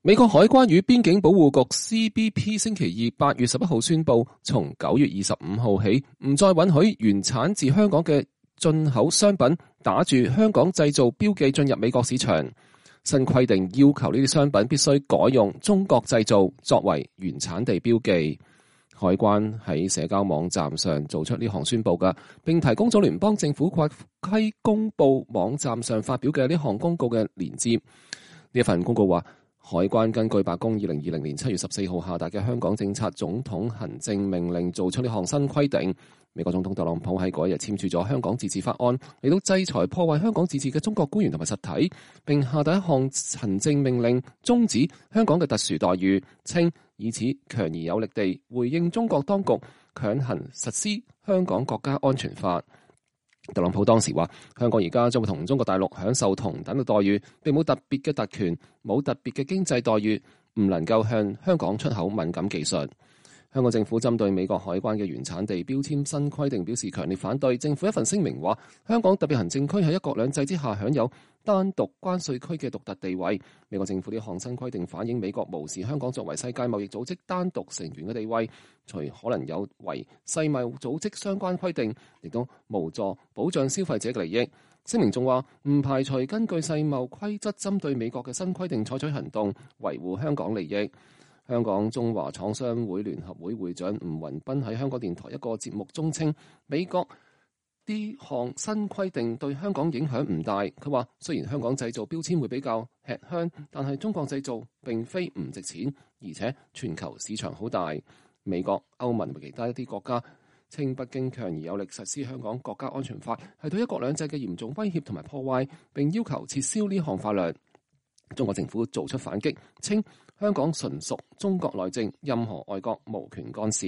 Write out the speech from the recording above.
美國海關與邊境保護局 CBP 星期二8月11號宣布，從9月25號起，唔再允許原產自香港嘅進口商品打住香港製造標記進入美國市場。新規定要求呢啲商品必須改用中國製造作為原產地標記。海關喺社交網站上做出呢項宣布嘅，並提供咗聯邦政府國規公佈網站上發表嘅呢項公告嘅連接。呢一份公告話，海關根據白宮2020年7月14號下達嘅香港政策總統行政命令做出呢項新規定。美國總統特朗普喺嗰日簽署咗香港自治法案，嚟到制裁破壞香港自治嘅中國官員同埋實體，並下達一項行政命令終止香港嘅特殊待遇，稱以此強而有力地回應中國當局強行實施香港國家安全法。特朗普當時話，香港而家將會同中國大陸享受同等嘅待遇，並冇特別嘅特權，冇特別嘅經濟待遇，唔能夠向香港出口敏感技術。香港政府針對美國海關嘅原產地標籤新規定表示強烈反對。政府一份聲明話，香港特別行政區喺一國兩制之下享有單獨關稅區嘅獨特地位。美國政府呢項新規定反映美國無視香港作為世界貿易組織單獨成員嘅地位，除可能有違世貿組織相關規定，亦都無助保障消費者嘅利益。聲明仲話，唔排除根據世貿規則針對美國嘅新規定採取行動，維護香港利益。香港中華廠商會聯合會會長吳宏斌喺香港電台一個節目中稱，美國呢項新規定對香港影響唔大。佢話，雖然香港製造標籤會比較吃香，但係中國製造並非唔值錢，而且全球市場好大。美國、歐盟同其他一啲國家稱北京強而有力實施香港國家安全法係對一國兩制嘅嚴重威脅同埋破壞，並要求撤銷呢項法律。中國政府做出反擊，稱香港純屬中國內政，任何外國無權干涉。